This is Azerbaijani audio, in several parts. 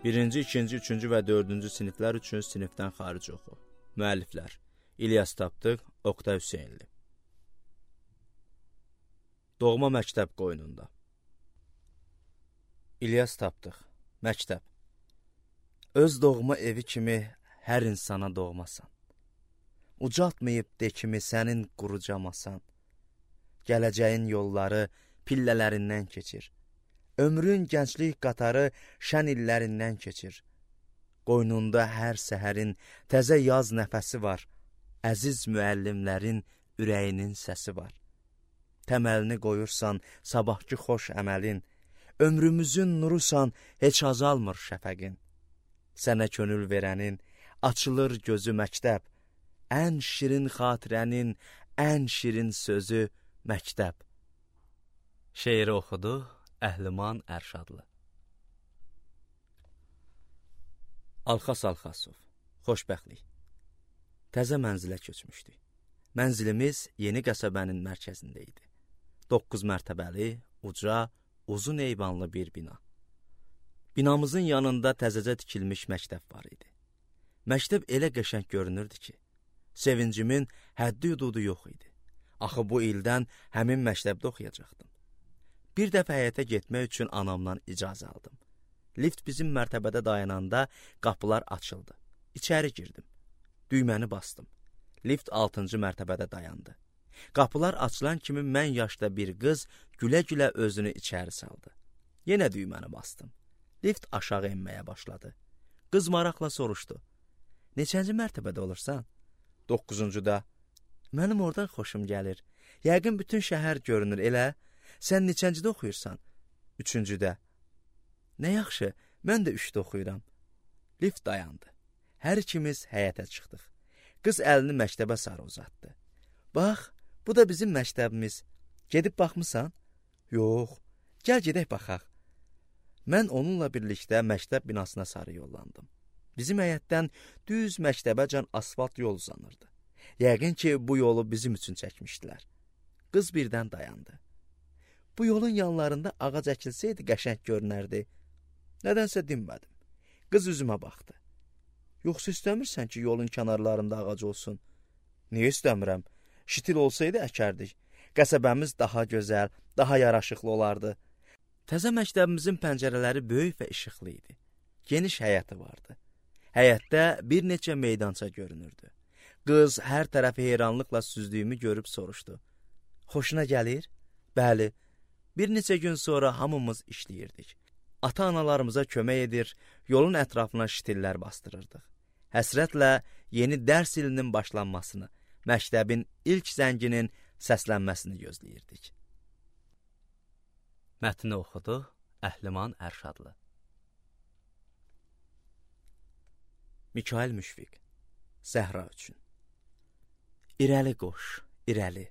Birinci, ikinci, üçüncü və dördüncü siniflər üçün sinifdən xaric oxu. Müəlliflər: İlyas Tapdıq, Oqtay Hüseynli. Doğma məktəb qoynunda. İlyas Tapdıq, məktəb. Öz doğma evi kimi hər insana doğmasan. Ucaltmayıb de kimi sənin qurucamasan. Gələcəyin yolları pillələrindən keçir. Ömrün gənclik qatarı şən illərindən keçir. Qoynunda hər səhərin təzə yaz nəfəsi var. Əziz müəllimlərin ürəyinin səsi var. Təməlini qoyursan sabahki xoş əməlin. Ömrümüzün nurusan, heç azalmır şəfəqin. Sənə könül verənin açılır gözü məktəb. Ən şirin xatirənin ən şirin sözü məktəb. Şeiri oxudu Əhliman Ərşadlı. Alxas Alxasov, xoşbəxtlik. Təzə mənzilə köçmüşdük. Mənzilimiz yeni qəsəbənin mərkəzində idi. 9 mərtəbəli, uca, uzun eyvanlı bir bina. Binamızın yanında təzəcə tikilmiş məktəb var idi. Məktəb elə qəşəng görünürdü ki, sevincimin həddi hududu yox idi. Axı bu ildən həmin məktəbdə oxuyacaqdım. Bir dəfə həyətə getmək üçün anamdan icazə aldım. Lift bizim mərtəbədə dayananda qapılar açıldı. İçəri girdim. Düyməni bastım. Lift 6-cı mərtəbədə dayandı. Qapılar açılan kimi mən yaşda bir qız gülə-gülə özünü içəri saldı. Yenə düyməni bastım. Lift aşağı enməyə başladı. Qız maraqla soruşdu. Neçənci mərtəbədə olursan? 9-cuda. Mənim oradan xoşum gəlir. Yəqin bütün şəhər görünür, elə? Sən neçəncidə oxuyursan? 3-cüdə. Nə yaxşı, mən də 3-də oxuyuram. Lift dayandı. Hər ikimiz həyətə çıxdıq. Qız əlini məktəbə sarı uzatdı. Bax, bu da bizim məktəbimiz. Gedib baxmısan? Yox, gəl gedək baxaq. Mən onunla birlikdə məktəb binasına sarı yollandım. Bizim həyətdən düz məktəbəcən asfalt yol uzanırdı. Yəqin ki, bu yolu bizim üçün çəkmişdilər. Qız birdən dayandı. Bu yolun yanlarında ağac əkilsəydi qəşəng görünərdi. Nədənsə dinmədim. Qız üzümə baxdı. Yoxsa istəmirsən ki, yolun kənarlarında ağac olsun? Niyə istəmirəm? Şitil olsaydı əkərdik. Qəsəbəmiz daha gözəl, daha yaraşıqlı olardı. Təzə məktəbimizin pəncərələri böyük və işıqlı idi. Geniş həyəti vardı. Həyətdə bir neçə meydança görünürdü. Qız hər tərəfi heyranlıqla süzdüyümü görüb soruşdu. Xoşuna gəlir? Bəli. Bir neçə gün sonra hamımız işləyirdik. Ata-analarımıza kömək edir, yolun ətrafına şitillər bastırırdıq. Həsrətlə yeni dərs ilinin başlanmasını, məktəbin ilk zənginin səslənməsini gözləyirdik. Mətni oxudu Əhliman Ərşadlı. Mikail Müşfiq, Zəhra üçün. İrəli qoş, irəli,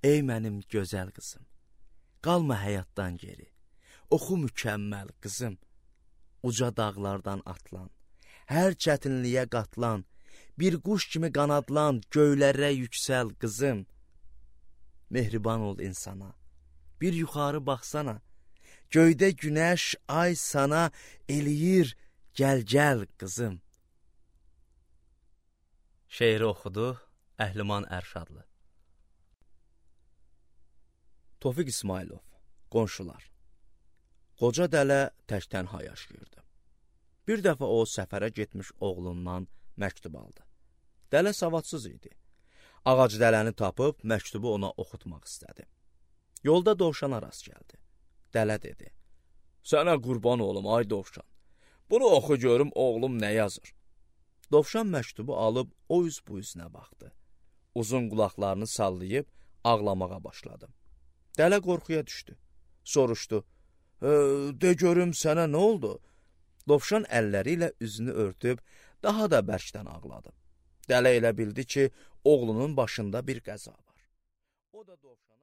ey mənim gözəl qızım. Qalma həyatdan geri, oxu mükəmməl qızım. Uca dağlardan atlan, hər çətinliyə qatlan, bir quş kimi qanadlan, göylərə yüksəl qızım. Mehriban ol insana, bir yuxarı baxsana, göydə günəş, ay sana eləyir, gəl qızım. Şeiri oxudu Əhliman Ərşadlı. Tofiq İsmailov, qonşular. Qoca dələ tək-tənha yaşayırdı. Bir dəfə o səfərə getmiş oğlundan məktub aldı. Dələ savadsız idi. Ağac dələni tapıb məktubu ona oxutmaq istədi. Yolda dovşana rast gəldi. Dələ dedi. Sənə qurban olum, ay dovşan. Bunu oxu görüm oğlum nə yazır. Dovşan məktubu alıb o üz bu üzünə baxdı. Uzun qulaqlarını sallayıb ağlamağa başladı. Dələ qorxuya düşdü. Soruşdu. De görüm sənə nə oldu? Dovşan əlləri ilə üzünü örtüb daha da bərkdən ağladı. Dələ elə bildi ki, oğlunun başında bir qəza var. O da dovşan